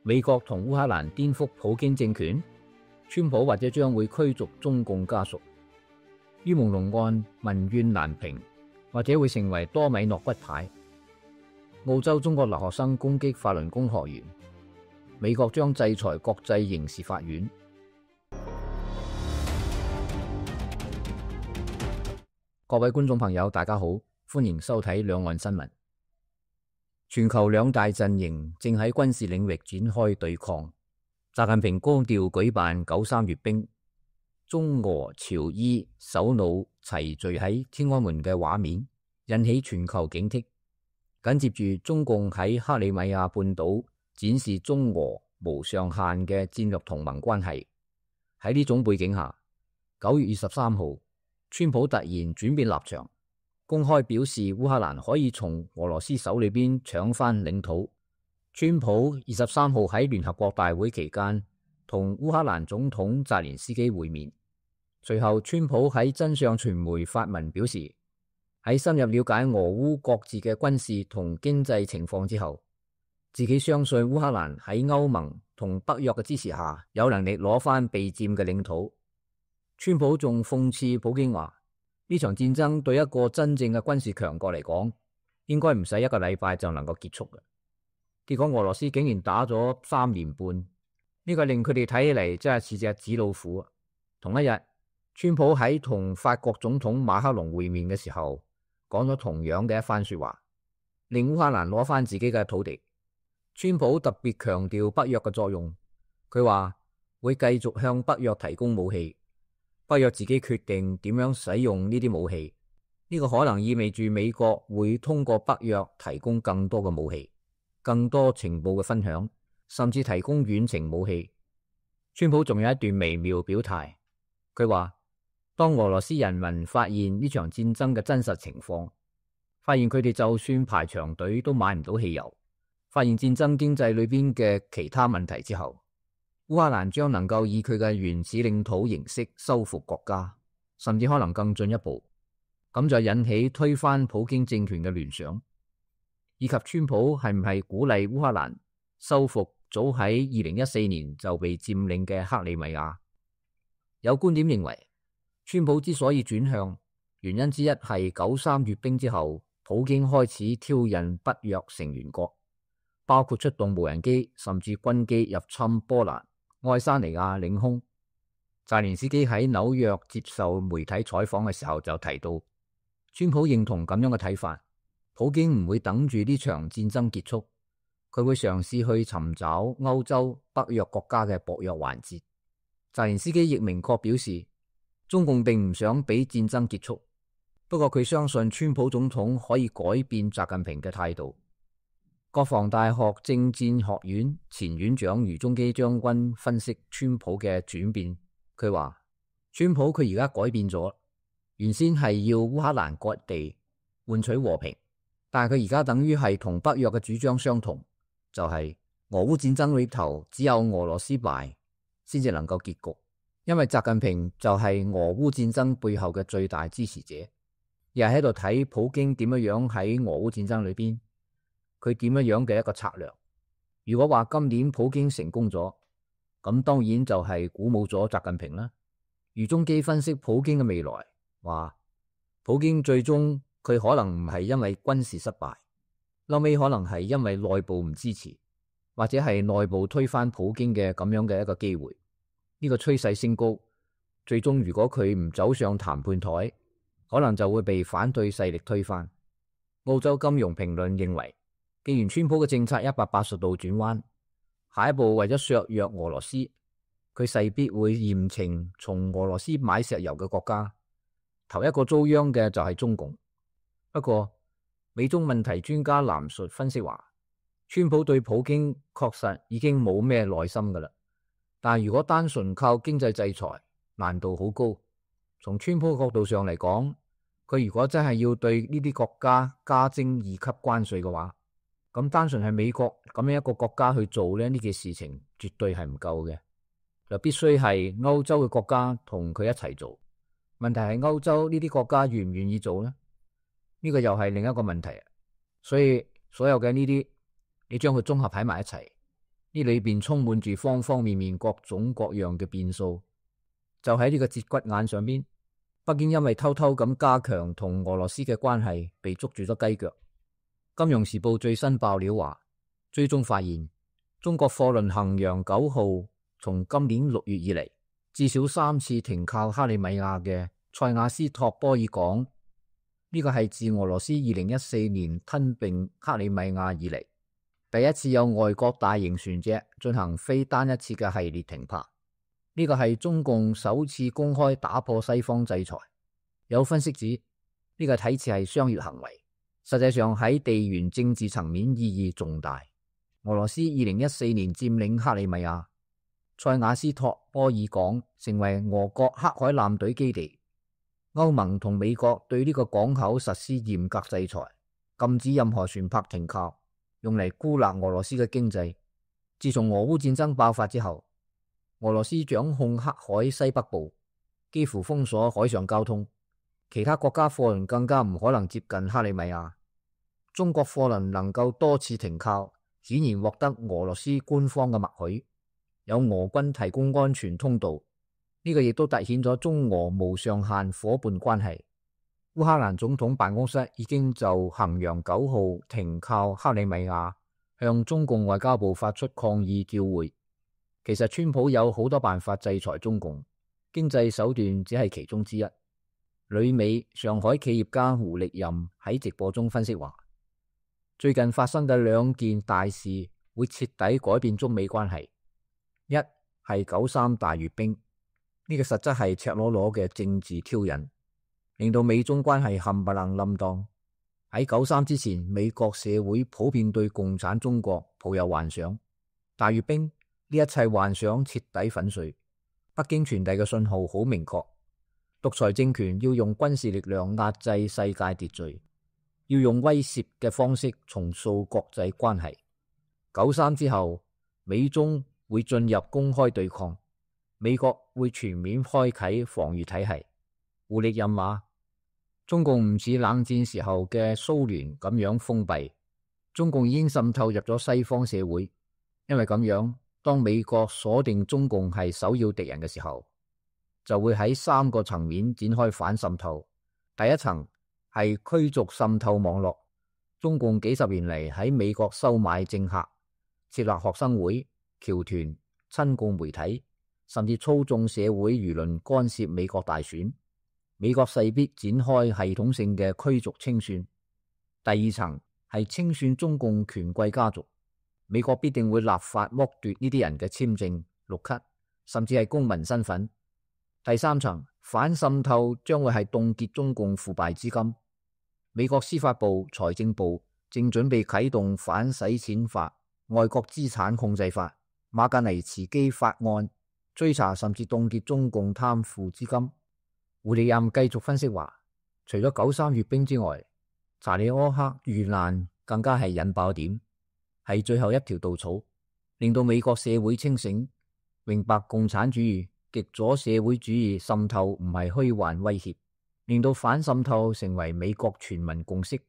美國同烏克蘭顛覆普京政權，川普或者將會驅逐中共家屬。於朦朧案民怨難平，或者會成為多米諾骨牌。澳洲中國留學生攻擊法輪功學員，美國將制裁國際刑事法院。各位觀眾朋友，大家好，歡迎收睇兩岸新聞。全球兩大陣營正喺軍事領域展開對抗。習近平高調舉辦93閱兵，中俄朝伊首腦齊聚喺天安門嘅畫面，引起全球警惕。緊接住，中共喺克里米亞半島展示中俄無上限嘅戰略同盟關係。喺呢種背景下，9月23號，川普突然轉變立場，公開表示烏克蘭可以從俄羅斯手裏邊搶翻領土。川普23號喺聯合國大會期間同烏克蘭總統澤連斯基會面，隨後川普喺真相傳媒發文表示，喺深入了解俄烏各自嘅軍事同經濟情況之後，自己相信烏克蘭喺歐盟同北約嘅支持下，有能力攞翻被佔嘅領土。川普仲諷刺普京話，呢場戰爭對一個真正嘅軍事強國嚟講，應該唔使1個禮拜就能夠結束嘅。結果俄羅斯竟然打咗3年半，呢個令佢哋睇起嚟真係似隻紙老虎。同一日，川普喺同法國總統馬克龍會面嘅時候，講咗同樣嘅一番說話，令烏克蘭攞翻自己嘅土地。川普特別強調北約嘅作用，佢話會繼續向北約提供武器。北約自己決定點樣使用呢啲武器，呢個可能意味住美國會通過北約提供更多嘅武器、更多情報嘅分享，甚至提供遠程武器。川普仲有一段微妙表態，佢話當俄羅斯人民發現呢場戰爭嘅真實情況，發現佢哋就算排長隊都買唔到汽油，發現戰爭經濟裏邊嘅其他問題之後，烏克蘭將能夠以佢嘅原始領土形式收復國家，甚至可能更進一步。咁就引起推翻普京政權嘅聯想，以及川普係唔係鼓勵烏克蘭收復早喺2014年就被佔領嘅克里米亞。有觀點認為，川普之所以轉向，原因之一係93閱兵之後，普京開始挑釁北約成員國，包括出動無人機甚至軍機入侵波蘭、愛沙尼亞領空。澤連斯基喺紐約接受媒體採訪嘅時候就提到，川普認同咁樣嘅睇法，普京唔會等住呢場戰爭結束，佢會嘗試去尋找歐洲北約國家嘅薄弱環節。澤連斯基亦明確表示，中共並唔想俾戰爭結束，不過佢相信川普總統可以改變習近平嘅態度。國防大學政戰學院前院長余中基將軍分析川普嘅轉變，佢話川普佢而家改變咗，原先係要烏克蘭割地換取和平，但係佢而家等於係同北約嘅主張相同，就係俄烏戰爭裏頭只有俄羅斯敗先至能夠結局，因為習近平就係俄烏戰爭背後嘅最大支持者，又喺度睇普京點樣喺俄烏戰爭裏邊佢點樣嘅一個策略。如果話今年普京成功咗，咁當然就係鼓舞咗習近平啦。余中基分析普京嘅未來，話普京最終佢可能唔係因為軍事失敗，後尾可能係因為內部唔支持，或者係內部推翻普京嘅咁樣嘅一個機會。呢個趨勢升高，最終如果佢唔走上談判台，可能就會被反對勢力推翻。澳洲金融評論認為，既然川普嘅政策180度轉彎，下一步為咗削弱俄羅斯，佢勢必會嚴懲從俄羅斯買石油嘅國家，頭一個遭殃嘅就係中共。不過美中問題專家藍述分析話，川普對普京確實已經冇咩耐心噶啦，但如果單純靠經濟制裁，難度好高。從川普嘅角度上嚟講，佢如果真係要對呢啲國家加徵2級關稅嘅話，咁單純係美國咁樣一個國家去做呢件事情絕對係唔夠嘅，就必須係歐洲嘅國家同佢一齊做。問題係歐洲呢啲國家願唔願意做呢？呢個又係另一個問題。所以所有嘅呢啲，你將佢綜合喺埋一齊，呢裏邊充滿住方方面面各種各樣嘅變數。就喺呢個節骨眼上邊，北京因為偷偷咁加強同俄羅斯嘅關係，被捉住咗雞腳。金融時報最新爆料話，追蹤發現中國貨輪衡陽9號從今年6月以嚟，至少3次停靠克里米亞嘅塞瓦斯托波爾港。呢個係自俄羅斯2014年吞併克里米亞以嚟，第一次有外國大型船隻進行非單一次嘅系列停泊。呢個係中共首次公開打破西方制裁。有分析指，呢個睇似係商業行為，實際上喺地緣政治層面意義重大。俄羅斯2014年佔領克里米亞，塞瓦斯托波爾港成為俄國黑海艦隊基地。歐盟同美國對呢個港口實施嚴格制裁，禁止任何船舶停靠，用嚟孤立俄羅斯嘅經濟。自從俄烏戰爭爆發之後，俄羅斯掌控黑海西北部，幾乎封鎖海上交通，其他國家貨輪更加唔可能接近克里米亞。中國貨輪能夠多次停靠，顯然獲得俄羅斯官方嘅默許，有俄軍提供安全通道。呢個亦都凸顯咗中俄無上限夥伴關係。烏克蘭總統辦公室已經就衡陽9號停靠克里米亞向中共外交部發出抗議照會。其實川普有好多辦法制裁中共，經濟手段只係其中之一。旅美上海企業家胡力任喺直播中分析話，最近發生嘅2件大事會徹底改變中美關係。一係9·3大閱兵，呢個實質係赤裸裸嘅政治挑釁，令到美中關係冚唪唥冧檔。喺9·3之前，美國社會普遍對共產中國抱有幻想，大閱兵呢一切幻想徹底粉碎。北京傳遞嘅信號好明確，獨裁政權要用軍事力量壓制世界秩序，要用威懾嘅方式重塑國際關係。9·3之後，美中會進入公開對抗，美國會全面開啟防禦體系。胡力任話，中共唔似冷戰時候嘅蘇聯咁樣封閉，中共已經滲透入咗西方社會，因為咁樣，當美國鎖定中共係首要敵人嘅時候，就會喺3個層面展開反滲透。第一層係驅逐滲透網絡，中共幾十年嚟喺美國收買政客，設立學生會、僑團、親共媒體，甚至操縱社會輿論干涉美國大選。美國勢必展開系統性嘅驅逐清算。第二層係清算中共權貴家族，美國必定會立法剝奪呢啲人嘅簽證、綠卡，甚至係公民身份。第三層反滲透將會係凍結中共腐敗資金。美國司法部、財政部正準備啟動反洗錢法、外國資產控制法、馬格尼茨基法案，追查甚至凍結中共貪腐資金。胡力任繼續分析話，除咗9·3閱兵之外，查理柯克遇難更加係引爆點，係最後一條稻草，令到美國社會清醒，明白共產主義、極左社會主義滲透唔係虛幻威脅，令到反滲透成為美國全民共識。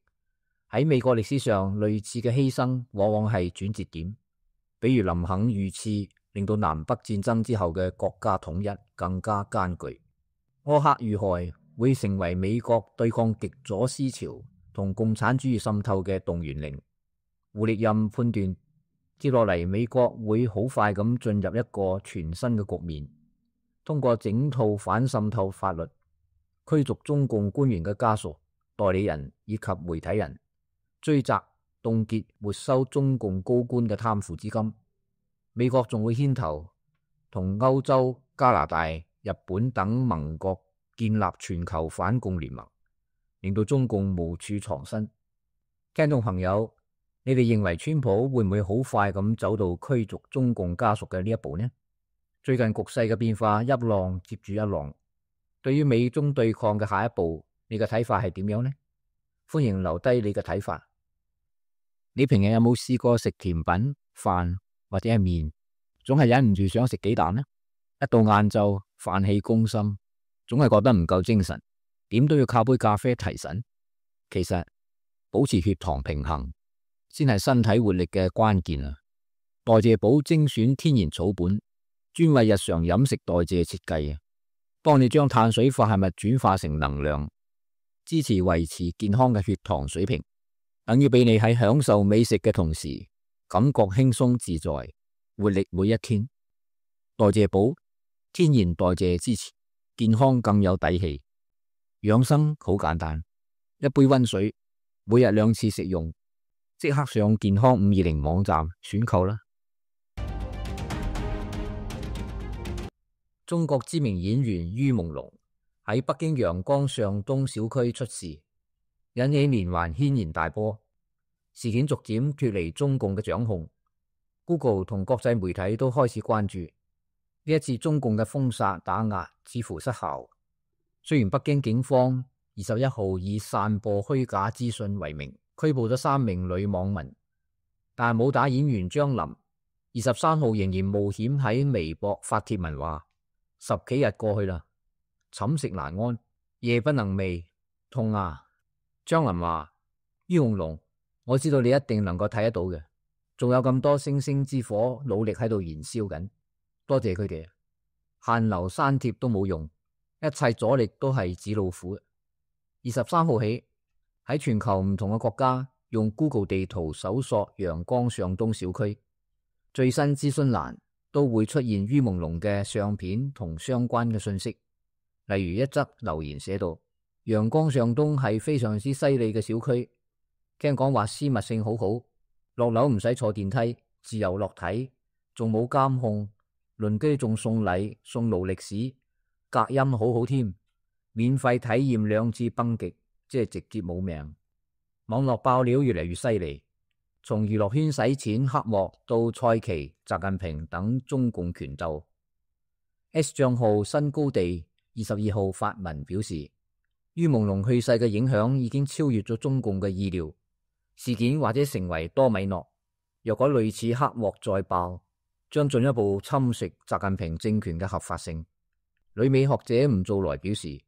喺美國歷史上，類似嘅犧牲往往係轉折點，比如林肯遇刺，令到南北戰爭之後嘅國家統一更加艱巨。柯克遇害會成為美國對抗極左思潮同共產主義滲透嘅動員令。胡力任判斷，接落嚟美國會好快咁進入一個全新嘅局面，通過整套反滲透法律，驅逐中共官員嘅家屬、代理人以及媒體人，追責、凍結、沒收中共高官嘅貪腐資金。美國仲會牽頭同歐洲、加拿大、日本等盟國建立全球反共聯盟，令到中共無處藏身。聽眾朋友，你哋認為川普會唔會好快咁走到驅逐中共家屬嘅呢一步呢？最近局勢嘅變化一浪接住一浪，對於美中對抗嘅下一步，你嘅睇法係點樣呢？歡迎留低你嘅睇法。你平日有冇試過食甜品、飯或者係麵，總係忍唔住想食幾啖呢？一到晏晝，飯氣攻心，總係覺得唔夠精神，點都要靠杯咖啡提神。其實保持血糖平衡先係身體活力嘅關鍵啊！代謝寶精選天然草本，專為日常飲食代謝設計，幫你將碳水化合物轉化成能量，支持維持健康嘅血糖水平，等於俾你喺享受美食嘅同時，感覺輕鬆自在，活力每一天。代謝寶，天然代謝支持，健康更有底氣。養生好簡單，一杯溫水，每日2次食用，即刻上健康520網站選購啦。中國知名演員于朦朧喺北京陽光上東小區出事，引起連環軒然大波。事件逐漸脫離中共嘅掌控， Google 同國際媒體都開始關注呢一次中共嘅封殺打壓似乎失效。雖然北京警方21號以散播虛假資訊為名拘捕咗3名女網民，但武打演員張琳23號仍然冒險喺微博發帖文話：10幾日過去啦，寢食難安，夜不能寐，痛啊！張琳話：于朦朧，我知道你一定能夠睇得到嘅，仲有咁多星星之火努力喺度燃燒緊，多謝佢哋，限流刪帖都冇用，一切阻力都係紙老虎。23號起，喺全球唔同嘅國家用 Google 地圖搜索陽光上東小區，最新資訊欄都會出現于朦朧嘅相片同相關嘅信息。例如一則留言寫到：陽光上東係非常之犀利嘅小區，聽講話私密性好好，落樓唔使坐電梯，自由落體，仲冇監控，鄰居仲送禮送勞力士，隔音好好添，免費體驗2次崩極，即係直接冇命。網絡爆料越嚟越犀利，從娛樂圈洗錢黑幕到蔡奇、習近平等中共權鬥。S 賬號新高地22號發文表示，于朦朧去世嘅影響已經超越咗中共嘅意料，事件或者成為多米諾。若果類似黑幕再爆，將進一步侵蝕習近平政權嘅合法性。旅美學者吳造來表示，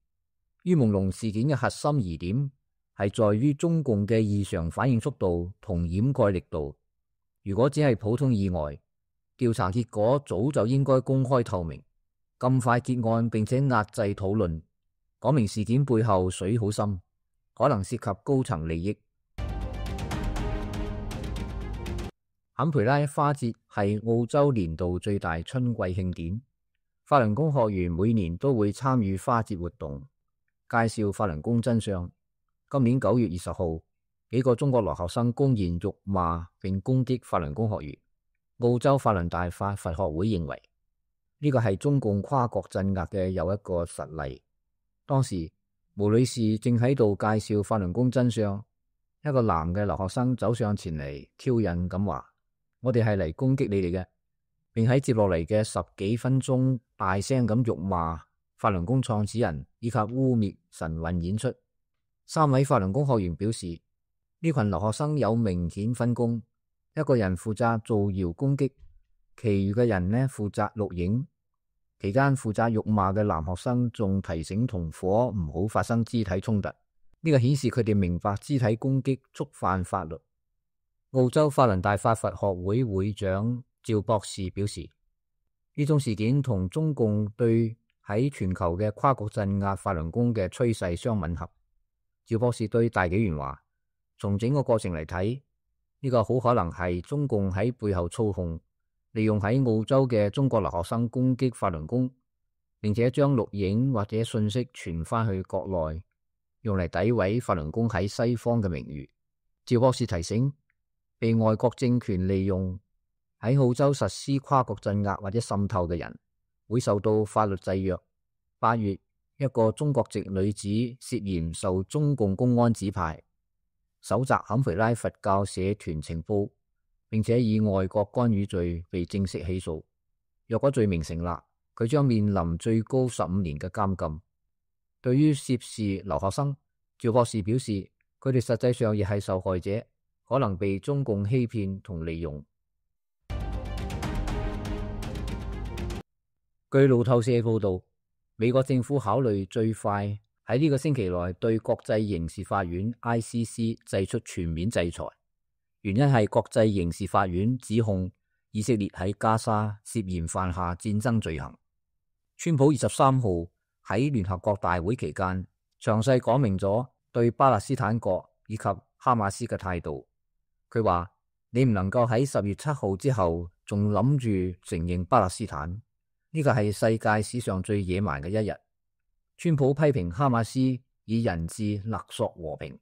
于朦朧事件嘅核心疑點係在於中共嘅異常反應速度同掩蓋力度。如果只係普通意外，調查結果早就應該公開透明，咁快結案並且壓制討論，講明事件背後水好深，可能涉及高層利益。坎培拉花節係澳洲年度最大春季慶典，法輪功學員每年都會參與花節活動，介紹法輪功真相。今年9月20號，幾個中國留學生公然辱罵並攻擊法輪功學員。澳洲法輪大法佛學會認為呢個係中共跨國鎮壓嘅又一個實例。當時毛女士正喺度介紹法輪功真相，一個男嘅留學生走上前嚟挑釁咁話：我哋係嚟攻擊你哋嘅，並喺接落嚟嘅10幾分鐘大聲咁辱罵法輪功創始人以及污衊神韻演出。3位法輪功學員表示，呢群留學生有明顯分工，一個人負責造謠攻擊，其餘嘅人呢負責錄影。期間負責辱罵嘅男學生仲提醒同夥唔好發生肢體衝突，呢個顯示佢哋明白肢體攻擊觸犯法律。澳洲法輪大法佛學會會長趙博士表示，呢種事件同中共對喺全球嘅跨國鎮壓法輪功嘅趨勢相吻合。趙博士對大紀元話，從整個過程嚟睇，呢個好可能係中共喺背後操控，利用喺澳洲嘅中國留學生攻擊法輪功，並且將錄影或者信息傳翻去國內，用嚟詆毀法輪功喺西方嘅名譽。趙博士提醒，被外國政權利用喺澳洲實施跨國鎮壓或者滲透嘅人，會受到法律制約。8月，一個中國籍女子涉嫌受中共公安指派，搜集坎培拉佛教社團情報，並且以外國干預罪被正式起訴。若果罪名成立，佢將面臨最高15年嘅監禁。對於涉事留學生，趙博士表示，佢哋實際上亦係受害者，可能被中共欺騙同利用。據路透社報道，美國政府考慮最快喺呢個星期內對國際刑事法院 ICC 祭出全面制裁，原因係國際刑事法院指控以色列喺加沙涉嫌犯下戰爭罪行。川普23號喺聯合國大會期間，詳細講明咗對巴勒斯坦國以及哈馬斯嘅態度。佢話：你唔能夠喺10月7號之後仲諗住承認巴勒斯坦，呢個係世界史上最野蠻嘅一日。川普批評哈馬斯以人質勒索和平，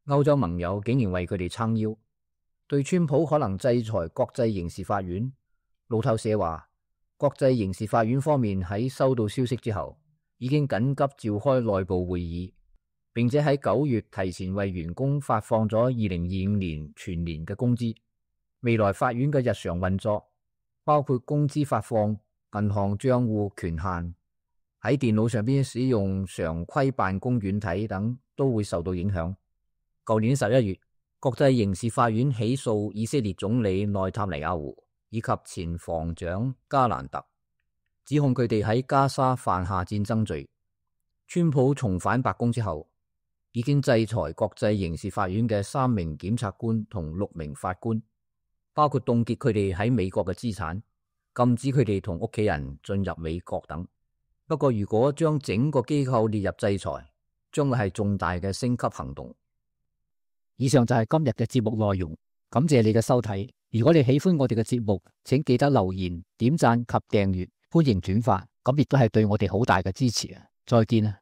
歐洲盟友竟然為佢哋撐腰。對川普可能制裁國際刑事法院，路透社話，國際刑事法院方面喺收到消息之後，已經緊急召開內部會議，並且喺9月提前為員工發放咗2025年全年嘅工資。未來法院嘅日常運作，包括工資發放、銀行賬戶權限、喺電腦上邊使用常規辦公軟體等，都會受到影響。舊年11月，國際刑事法院起訴以色列總理內塔尼亞胡以及前防長加蘭特，指控佢哋喺加沙犯下戰爭罪。川普重返白宮之後，已經制裁國際刑事法院嘅3名檢察官同6名法官，包括凍結佢哋喺美國嘅資產，禁止佢哋同屋企人進入美國等。不過，如果將整個機構列入制裁，將會係重大嘅升級行動。以上就係今日嘅節目內容，感謝你嘅收睇。如果你喜歡我哋嘅節目，請記得留言、點讚及訂閱，歡迎轉發，咁亦都係對我哋好大嘅支持啊！再見啊！